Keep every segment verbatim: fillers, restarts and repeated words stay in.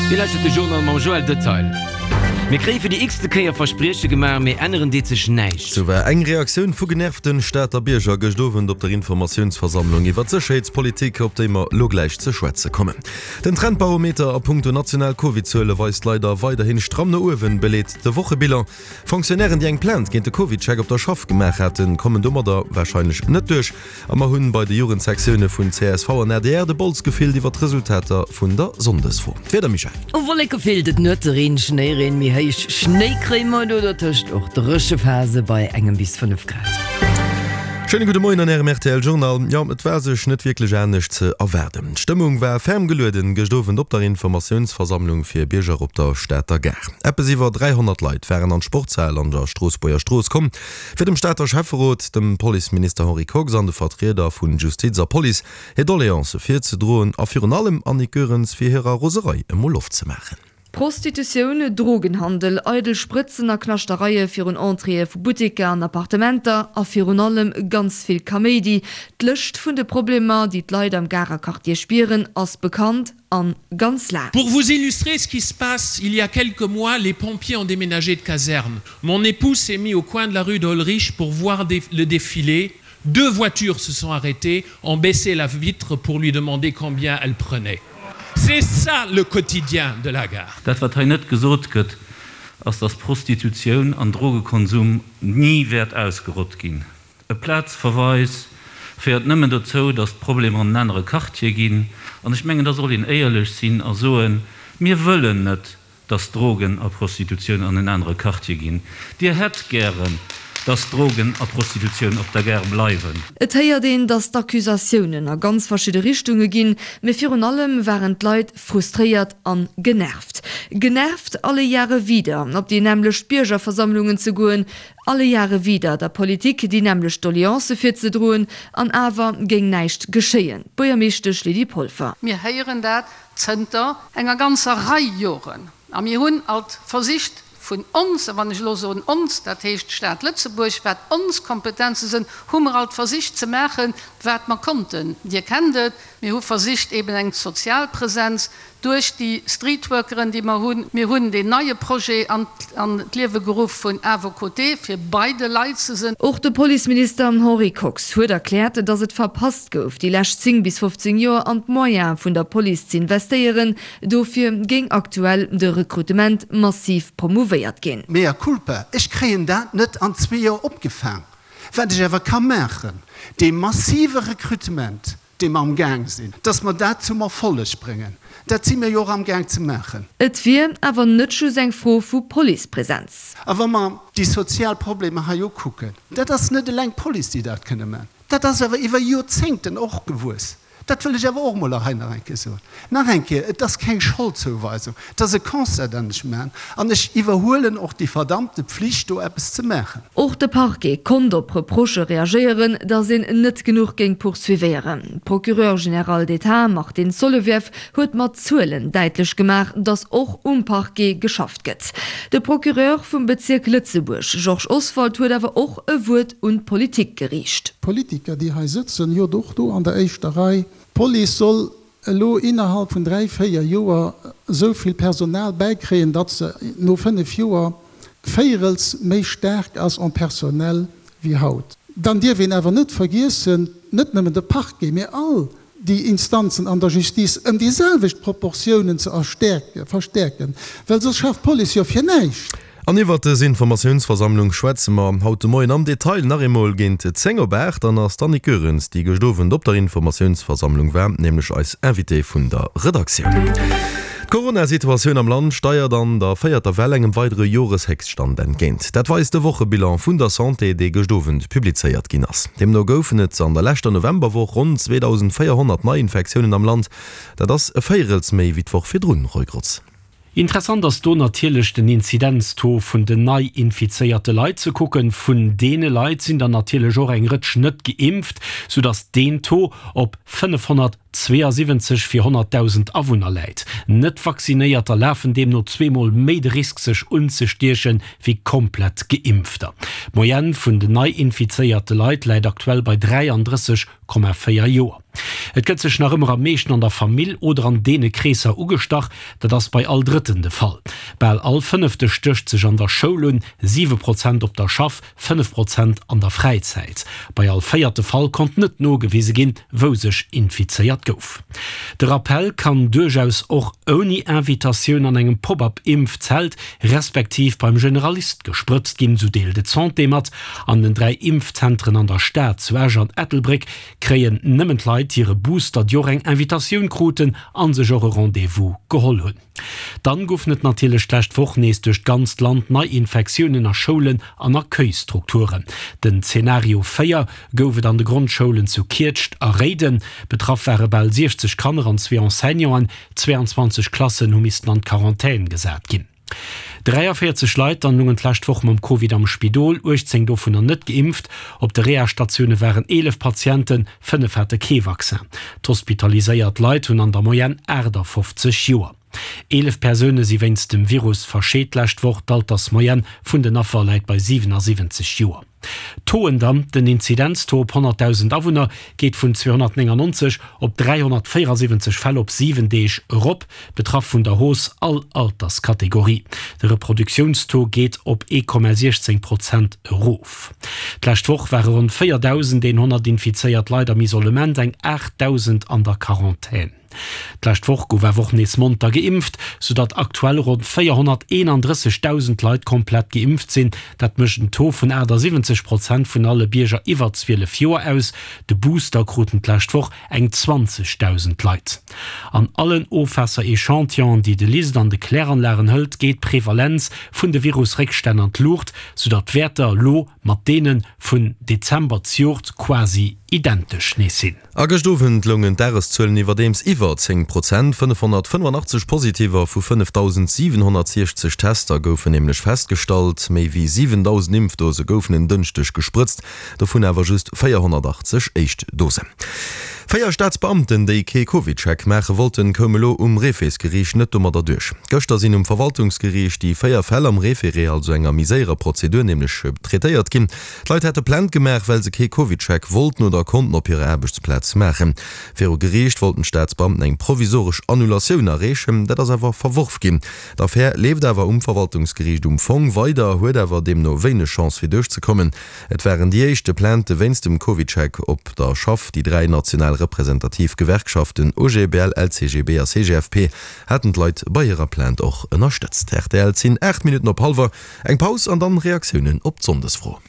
Dir lauschtert de Journal mam Joël Detail. Mir kréie fir déi x-te Kéier Versprieche gemaach, mee änneren deet sech näischt. Sou war eng Reaktioun vu genervten Stater Bierger gëscht Owend op der Informatiounsversammlung iwwer d'Sécherheetspolitik, op déi mer lo gläich ze schwätze kommen. Den Trendbarometer a punkto national Covid-Zuele weist leider weiderhin stramm no uewen, beleet de Wochebilan. Fonctionnairen, déi eng Plainte géint de CovidCheck op der Schaff gemaach haten, kommen domadder warscheinlech net duerch. A mer hunn bei de Jugendsektioune vun csv an adr de Bols gefillt iwwer d'Resultater vun der Sonndesfro. D'Wieder, Michèle? Wolleke vill, et nuets Reen, Schnéireen, méi héich Schnéi kréie mer do dertëscht och dréche Phase bei engem bis fënnef Grad. Schéine gudde Moien an Ärem rtl Journal. Jo, et war sech net wierklech anescht ze erwaarden. D'Stëmmung war ferm gelueden gëscht Owend op der Informatiounsversammlung fir Bierger op der Stater Gare. Eppes iwwer dräihonnert Leit waren an d'Sportshal an der Stroossbuerger Strooss komm, fir dem Stater Schäfferot, dem Policeminister Henri Kox an de Vertrieder vun Justiz a Police hir Doleancë virzedroen a virun allem Annick Goerens fir hirer Roserei emol Loft ze maachen. Prostitutioun, Drogenhandel, eidel Sprëtzen a Knaschtereie virun Entréeë vu Butteker an Appartementer a virun allem ganz vill Kaméidi. D'Lëscht vun de Problemer, déi d'Leit am Garer Quartier spieren, ass bekannt an ganz laang. Pour vous illustrer ce qui se passe, il y a quelques mois, les pompiers ont déménagé de caserne. Mon époux s'est mis au coin de la rue d'Hollerich pour voir le défilé. Deux voitures se sont arrêtées, ont baissé la vitre pour lui demander combien elle prenait. C'est ça le quotidien de la gare. Dat wat hei net gesot gëtt, ass dass Prostitutioun an Drogekonsum ni wäert ausgerott ginn. E Plazverweis féiert nëmmen dozou, dass d'Problemer an en anere Quartier ginn. An ech mengen, da soll een éierlech sinn a soen, Mir wëllen net, dass Drogen a Prostitutioun an en anere Quartier ginn. Dir hätt gären, dass Drogen a Prostitutioun op der Gare bleiwen. Et héiert een, dass d'Accusatiounen a ganz verschidde Richtunge ginn, mee virun allem waren d'Leit frustréiert an genervt. Genervt, alle Jahre wieder op déi nämmlecht Biergerversammlungen ze goen, alle Jahre wieder der Politik déi nämmlecht Doleancë virzedroen, an awer géing näischt geschéien. D'Buergermeeschtesch Lydie Polfer. Mir héieren dat zënter enger ganzer Rei Joren a mir hunn alt versicht, vun ons, a wann ech elo soen ons, dat heescht d'Stad Lëtzebuerg, wat ons Kompetenze sënn, hu mer alt versicht ze maachen, wat mer konnten. Dir kennt et, mir hu versicht eben eng sozial Präsenz duerch déi Streetworkeren, déi mer hunn. Mir hunn deen neie Projet an d'Liewe geruff vun À vos côtés, fir bei de Leit ze sënn. Och de Policeminister Henri Kox huet erkläert, datt et verpasst gouf, déi lescht zéng bis fofzéng Joer an d'Moyene vun der Police z'investéieren. Dofir géing aktuell de Rekrutement massiv promouvéiert ginn. Mea culpa, ech kréien dat net an zwee Joer opgefaang. Wat ech awer ka maachen, dee massive Rekrutement, dee mer amgaang sinn, dass mer dat zum Erfolleg bréngen, dat si mir jo och amgaang ze maachen. Et wier awer net just eng Fro vu Policepresenz. A wa mer déi sozial Problemer hei ukucken, dat ass net eleng d'Police, déi dat kënne maachen, dat ass awer iwwer Joerzéngten och gewuess. Dat wëll ech awer och emol hei nach eng Kéier soen. Nach eng Kéier, et ass keng Scholdzouweisung, et ass e Constat, deen ech maachen, an ech iwwerhuelen och déi verdammte Pflicht, do eppes ze maachen. Och de Parquet konnt op Reprochë reagéieren, datt een net genuch géing poursuivéieren. D'Procureure générale d'État Martine Solovieff huet mat Zuelen däitlech gemaach, datt och um Parquet geschafft gëtt. De Procureur vum Bezierk Lëtzebuerg Georges Oswald huet awer och e Wuert un d'Politik geriicht. D'Politiker, déi hei sëtzen, jo och do an der éischter Rei, D'Police soll elo innerhalb vun dräi, véier Joer esou vill Personal bäikréien, datt se no fënnef Joer véierels méi staark ass en personnel wéi haut. Dann dierf een awer net vergiessen, net nëmmen de Parquet, mä all déi Instanzen an der Justice ëm déi selwecht Proportiounen ze verstäerken, well soss schafft d'Police jo fir näischt. An iwwert dës Informatiounsversammlung schwätze mer haut de Moien am Detail nach eemol géint zéng op aacht. Dann ass d'Annick Goerens, déi gëscht Owend op der Informatiounsversammlung war, nämlech eis Invitée vun der Redaktioun. D'Corona-Situatioun am Land steiert an der véierter Well engem weidere Joreshéchststand entgéint. Dat weist de Wochebilan vun der Santé, dee gëscht Owend publizéiert ginn ass. Deemno goufen et an der leschter Novemberwoch ronn zweedausendvéierhonnert Neiinfektiounen am Land. Dat ass e Véierels méi wéi d'Woch virdrun, Roy Grotz. Interessant ass do natierlech den Inzidenztaux vun den nei infizéierte Leit ze kucken. Vun deene Leit sinn der natierlech och eng Rëtsch net geimpft, soudass deen Taux op fënnefhonnertsechzig zweeësiwwenzeg fir honnertdausend Awunner läit. Net-Vaccinéierter lafen deemno zweemol méi de Risk sech unzestiechen, wéi komplett Geimpfter. D'Moyenne vun den nei-infizéierte Leit läit aktuell bei dräiandrësseg Komma véier Joer. Et gëtt sech nach ëmmer am meeschten an der Famill oder an deene Kreesser ugestach, dat ass bei all Drëtten de Fall. Bal all Fënnefte stécht sech an der Schoul un, siwe Prozent op der Schaff, fënnef Prozent an der Fräizäit. Bei all véierte Fall konnt net nogewise ginn, wou sech infizéiert gouf. De Rappell kann duerchaus och ouni Invitatioun an engem Pop-up-Impfzelt respektiv beim Generalist gesprëtzt ginn, sou deelt et d'Santé mat. An den dräi Impfzentren an der Stad, zu Esch an Ettelbréck, kréien nëmmen d'Leit hire Booster, déi och eng Invitatioun kruten a sech och e Rendez-vous geholl hunn. Dann goufen et natierlech d'lescht Woch nees duerch d'ganzt Land Neiinfektiounen a Schoulen an Accueilsstrukturen. Den Zenario véier gouf et an de Grondschoulen zu Kietscht a Réiden. Betraff ware bal siechzeg Kanner an zwee Enseignanten. zweeanzwanzeg Klassen hu missten an d'Quarantän gesat ginn. dräiavéierzeg Leit dann lungen d'lescht Woch mam Covid am Spidol, uechtzéng dovunner net geimpft. Op de Reha-Statioune waren eelef Patienten, fënnef hate kee Vaccin. D'hospitaliséiert Leit hunn an der Moyenne aachtafoffzeg Joer. Eelef Persoune si wéinst dem Virus verscheet d'lescht Woch. D'Altersmoyenne vun den Affer läit bei siwenasiwwenzeg Joer. D'Tauxen dann, Den Inzidenztaux op honnertdausend Awunner geet vun zweehonnertnéngannonzeg op dräihonnertvéierasiwwenzeg Fäll op siwen Deeg erop, betraff vun der Hausse all Alterskategorie. De Reproduktiounstaux geet op ee Komma siechzéng Prozent erof. D'lescht Woch ware ronn véierdausendeenhonnert infizéiert Leit am Isolement, eng aachtdausend an der Quarantän. D'lescht Woch gouf awer och nees monter geimpft, soudatt aktuell ronn véierhonnerteenandrëssegdausend Leit komplett geimpft sinn. Dat mécht en Taux vun aachtasiwwenzeg Prozent vun alle Bierger iwwer zwielef Joer aus. De Booster kruten d'lescht Woch eng zwanzegdausend Leit. An allen Ofwaasser-Echantillonen, déi de LIST an de Kläranlagen hëlt, geet d'Prevalenz vun de Virus-Réckstänn an d'Luucht, soudatt d'Wäerter elo mat deene vun Dezember zejoert quasi identesch nees sinn. A gëscht Owend loungen d'Dageszuelen iwwerdeems iwwer zéng Prozent. fënnefhonnertfënnefandachtzeg Positiver vu fënnefdausendsiwenhonnertsiechzeg Tester goufen nämlech festgestallt. Méi wéi siwendausend Impfdose goufen en Dënschdeg gesprëtzt, dovun awer just véierhonnertachtzeg éischt Dosen. Véier Staatsbeamten, déi kee CovidCheck maache wollten, koume elo um Réfésgeriicht net domadder duerch. Gëschter sinn um Verwaltungsgeriicht déi véier Fäll am Référé, also enger méi séierer Prozedur, nämlech traitéiert ginn. D'Leit hätte Plainte gemaach, well se kee CovidCheck wollten oder konnten op hirer Aarbechtsplaz maachen. Viru Geriicht wollten d'Staatsbeamten eng provisoresch Annulatioun erreechen, dat ass awer verworf ginn. D'Affär leeft awer um Verwaltungsgeriicht um Fong weider, huet awer deemno wéineg Chance fir duerchzekommen. Et waren déi éischte Plaintë wéinst dem CovidCheck op der Schaff. Déi dräi national representativ Gewerkschaften O G B L, L C G B a C G F P haten d'Leit bei hirer Plainte och ënnerstëtzt. Rtl, Et sinn aacht Minutten op hallwer. Eng Paus an dann Reaktiounen op d'Sonndesfro.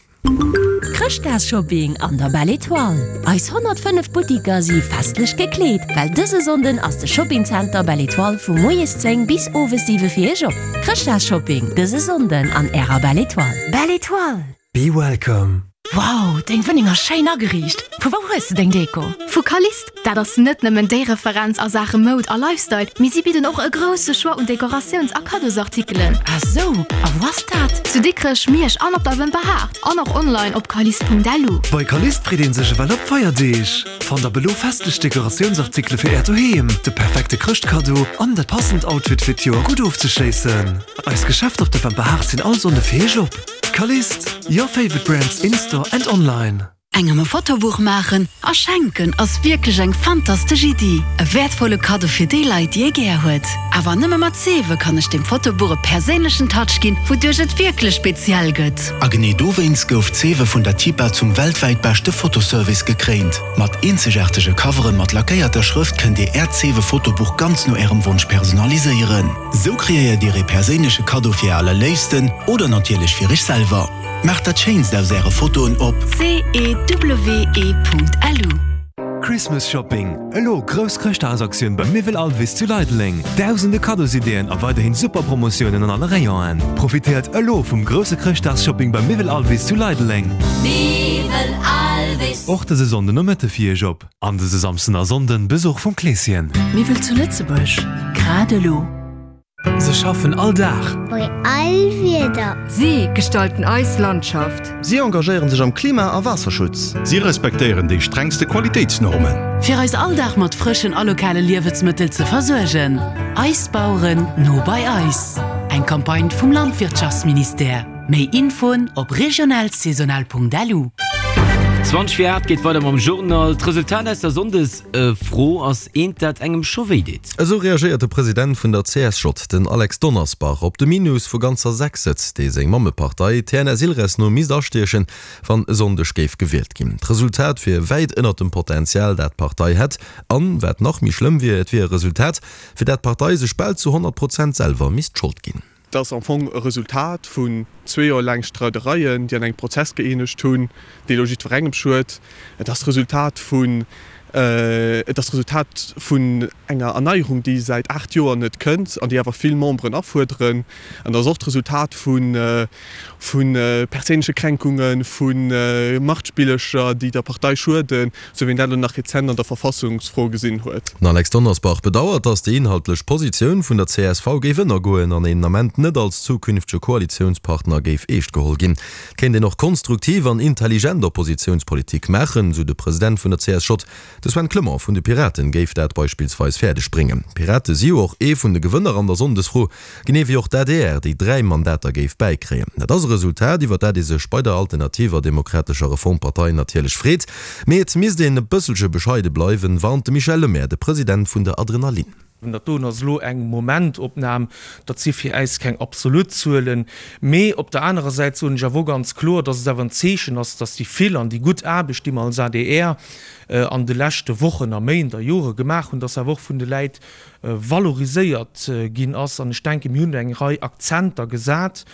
Chrëschtdagsshopping an der Belle Etoile! Eis honnertfënnef Buttiker si festlech gekleet, well dëse Sonnden ass de Shoppingzenter Belle Etoile vu moies zéng bis owes siwe fir iech op. Chrëschtdagsshopping dëse Sonnden an ärer Belle Etoile. Belle Etoile! Be welcome! Wow, deng Wunneng ass schéin ageriicht. Vu wou hues de deng Deko? Vu Kalist. Dat ass net nëmmen déi Referenz a Saache Moud a Lifestyle, mee si bidden och e grousse Choix un Dekoratiouns a Kaddosartikelen. Ah sou, a wou ass dat? Zu Dikrech, Miersch an op der Wëmperhaart an och online op kalist Punkt L U. Bei Kalist freet een sech ewell op d'Feierdeeg. Fannt ab elo festlech Dekoratiounsartikele fir Äert Doheem, de perfekte Chrëschtkaddo an dat passend Outfit fir d'Joer gutt ofzeschléissen. Eis Geschäfter op der Wëmperhaart sinn all Sonnde fir Iech op. Kalist, your favorite brands in store and online. Engem e Fotobuch maachen a schenken ass wierklech eng fantastesch Iddi. E wäertvolle Kaddo fir déi Leit, déi ee gär huet. Awer nëmme mat Cewe kann ech dem Fotobuch e perséinlechen Touch ginn, wouduerch et wierklech speziell gëtt. A genee dowéinst gouf Cewe vun der TIPA zum weltwäit beschte Fotoservice gekréint. Mat eenzegaartege Coveren mat lackéierter Schrëft kënnt Dir Äert Cewe Fotobuch ganz no Ärem Wonsch personaliséieren. Sou kreéiert Dir ee perséinleche Kaddo fir Är Allerléifsten oder natierlech fir Iech selwer. Maacht dat Schéinst aus Äre Fotoen op. C E W E Punkt L U. Christmas Shopping, Elo grouss Chrëschtdagsaktioun beim Miwwel Alvis zu Leideleng! Dausende Kaddosideeën a weiderhin super Promotiounen an alle Rayonen. Profitéiert elo vum grousse Chrëschtdagsshopping beim Miwwel Alvis zu Leideleng! Miwwel Alvis. Och dëse Sonnden Nomëtte fir Iech op an dëse Samsden a Sonnden Besuch vum Kleeschen. Miwwel zu Lëtzebuerg, grad elo. Se schaffen all Dag. Bei all Wieder. Si gestalten eis Landschaft. Si engagéieren sech am Klima a Waasserschutz. Si respektéieren déi strengste Qualitéitsnormen. Fir eis all Dag mat frëschen a lokale Liewensmëttel ze versuergen. Eis Baueren, no bei eis. Eng Campagne vum Landwirtschaftsministère. Méi Infoen op regionalsaisonal.lu. Zwanzeg vir aacht geet weider mam Journal. D'Resultat aus der Sonndesfro ass eent, dat engem scho wéi deet. Esou reagéiert de President vun der C S J, den Alex Donnersbach, op de Minus vu ganzer sechs Sëtz, dee seng Mammepartei T N S Ilres no misst astiechen, wann e Sonndeg géif gewielt ginn. D'Resultat wier wäit ënnert dem Potenzial, dat d'Partei hätt. An, wat nach méi schlëmm wier, et wier e Resultat, fir dat d'Partei sech bal zu honnert Prozent selwer misst d'Schold ginn. Dat ass am Fong e Resultat vun zwee Joer laang Streidereien, déi an engem Prozess gëeenegt hunn, dee elo jiddwerengem schued. Et ass d'Resultat vun, et ass d'Resultat vun enger Erneierung, déi säit aacht Joer net kënnt an déi awer vill Memberen afuerderen. An et ass och d'Resultat vu vu perséinleche Kränkungen, vu Machtspillercher, déi der Partei schueden, sou wéi een dat elo nach rezent an der Verfassungsfro gesinn huet. Den Alex Donnersbach bedauert, datt déi inhaltlech Positioun vun der C S V géif ënnergoen an een den Ament net als zukünftege Koalitiounspartner géif eescht geholl ginn. Et kéint een och konstruktiv an intelligent Oppositiounspolitik maachen, sou de President vun der C S J. De Sven Clement vun de Piraten géif dat beispillsweis fäerdeg bréngen. D'Pirate si jo och ee vun de Gewënner an der Sonndesfro, genee wéi och d'A D R, déi dräi Mandater géif bäikréien. Dat ass e Resultat, iwwer dat ee sech bei der Alternativer Demokratescher Reformpartei natierlech freet. Mee et misst een e bësselche bescheide bleiwen, warnt de Michel Lemaire, de President vun der Adrenalin. Dat doen ass elo eng Momentopnam, dat si fir äis keng absolut Zuelen. Mee op der anerer Säit soen ech awer och ganz kloer, dass et awer en Zeechen ass, dass déi vill an déi gutt Aarbecht, déi mer als A D R an de leschte Wochen a Méint a Jore gemaach hunn, dass awer och vun de Läit valoriséiert ginn ass. An ech denken, mir hunn eng Rei Akzenter gesat,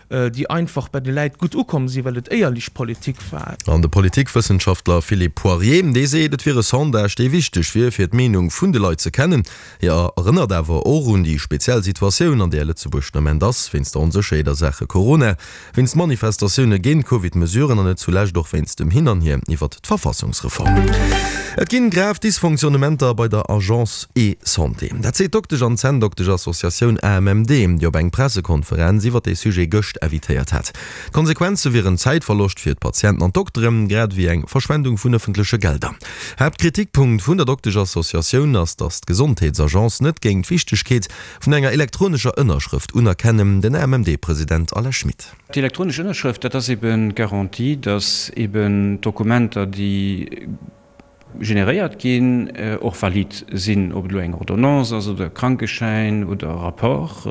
déi einfach bei de Läit gutt ukomm sinn, well et éierlech Politik war. An de Politikwëssenschaftler Philippe Poirier, dee seet, et wier e Sondage, dee wichteg wier, fir d'Meenung vun de Leit ze kennen. Hie erënnert awer och un déi speziell Situatioun, an där Lëtzebuerg den Ament ass, wéinst der Onsécherheet a Saache Corona, wéinst Manifestatioune géint d'Covid-Mesuren an net zulescht och wéinst dem Hin an Hier iwwert d'Verfassungsreform. Et ginn grav Dysfonctionnementer bei der Agence eSanté. Dat seet d'Doktesch an Zänndoktesch-Associatioun A M M D, déi op eng Pressekonferenz iwwer dee Sujet gëscht invitéiert hat. D'Konsequenze wieren Zäitverloscht fir d'Patienten an d'Dokteren, grad ewéi eng Verschwendung vun ëffentleche Gelder. Haaptkritikpunkt vun der Doktesch-Associatioun ass, datt d'Gesondheetsagence net géing d'Wichtegkeet vun enger elektronescher Ënnerschrëft unerkennen, den A M M D-President Alain Schmit. D'elektronesch Ënnerschrëft, dat ass eben d'Garantie, datt eben d'Dokumenter, déi generéiert ginn, och valid sinn, ob et elo eng Ordonnance ass oder e Krankeschäin oder e Rapport.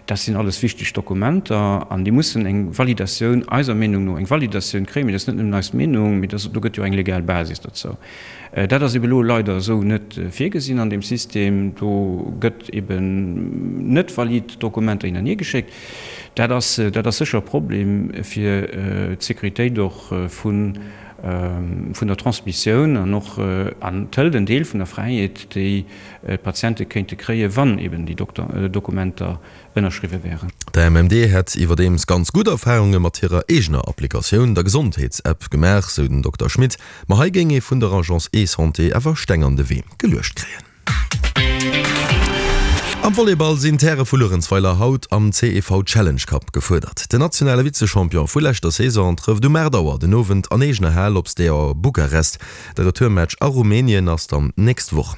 Dat sinn alles wichteg Dokumenter an déi mussen eng Validatioun, eiser Meenung no eng Validatioun kréien. Mee dat ass net nëmmen eis Meenung, mee dat, do gëtt jo eng legal Basis dozou. Dat ass ebe elo leider esou net virgesinn an deem System. Do gëtt eben net valid Dokumenter hin an hier geschéckt. Dat ass, dat ass sécher e Problem fir d'Sécuritéit och vun, vun der Transmissioun an och an et hëlt en Deel vun der Fräiheet, déi d'Patiente kéinte kréien, wann eben déi Dokumenter ënnerschriwwe wären. D'A M M D hätt iwwerdeems ganz gutt Erfarunge mat hirer eegener Applikatioun, der Gesondheets-App, gemaach, sou den Dokter Schmit. Ma hei géing ee vun der Agence eSanté awer Steng an de Wee geluecht kréien. Am Volleyball sinn d'Häre vu Luerenzweiler haut am C E V Challenge Cup gefuerdert. Den nationale Vizechampion vu leschter Saison trëfft um aacht Auer den Owend an eegener Hal op Steaua Bukarest. De Retourmatch a Rumänien ass dann d'nächst Woch.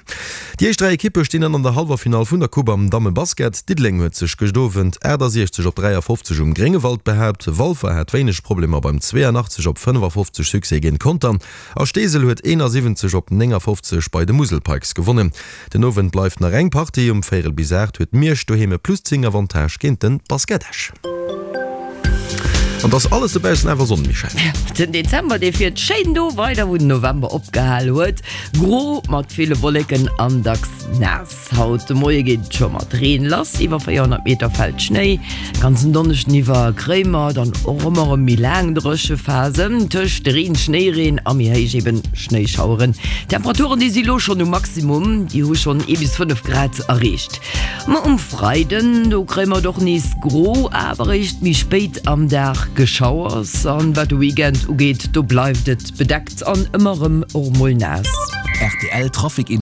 Déi éischt dräi Ekippe stinn dann an der Hallwerfinall vun der Coupe am Dammebasket. Diddeleng huet sech gëscht Owend achtasiechzeg op dräiafofzeg um Gréngewald behaapt. Walfer hat wéineg Problemer beim zweeanachtzeg op fënnefafofzeg Succès géint Contern a Steesel huet eenasiwwenzeg op néngafofzeg bei de Musel Pikes gewonnen. Den Owend bleift nach eng Partie, um véierel bis aacht huet Miersch doheem e plus zéng Avantage géint de Basket Esch. An et ass alles dobaussen awer Sonn, Michèle. Den Dezember dee fiert schéin do weider wou den November opgehal huet. Gro mat ville Wolleken an dacks naass. Haut de Moie geet et scho mat Reen lass, iwwer véierhonnert Meter fält Schnéi. Ganzen Donneschden iwwer kréie mer dann och ëmmer erëm méi laang Dréchephasen tëscht Reen, Schnéireen a méi héich eben Schnéischaueren. D'Temperaturen déi si lo schonn um Maximum, déi hu schonn ee bis fënnef Grad erreecht. Ma um Freiden do kréie mer et och nees gro, awer eréischt méi spéit am Dag Geschauers. An wat de Weekend ugeet, do bleift et bedeckt an ëmmer erëm och mol naass. R T L Trafic.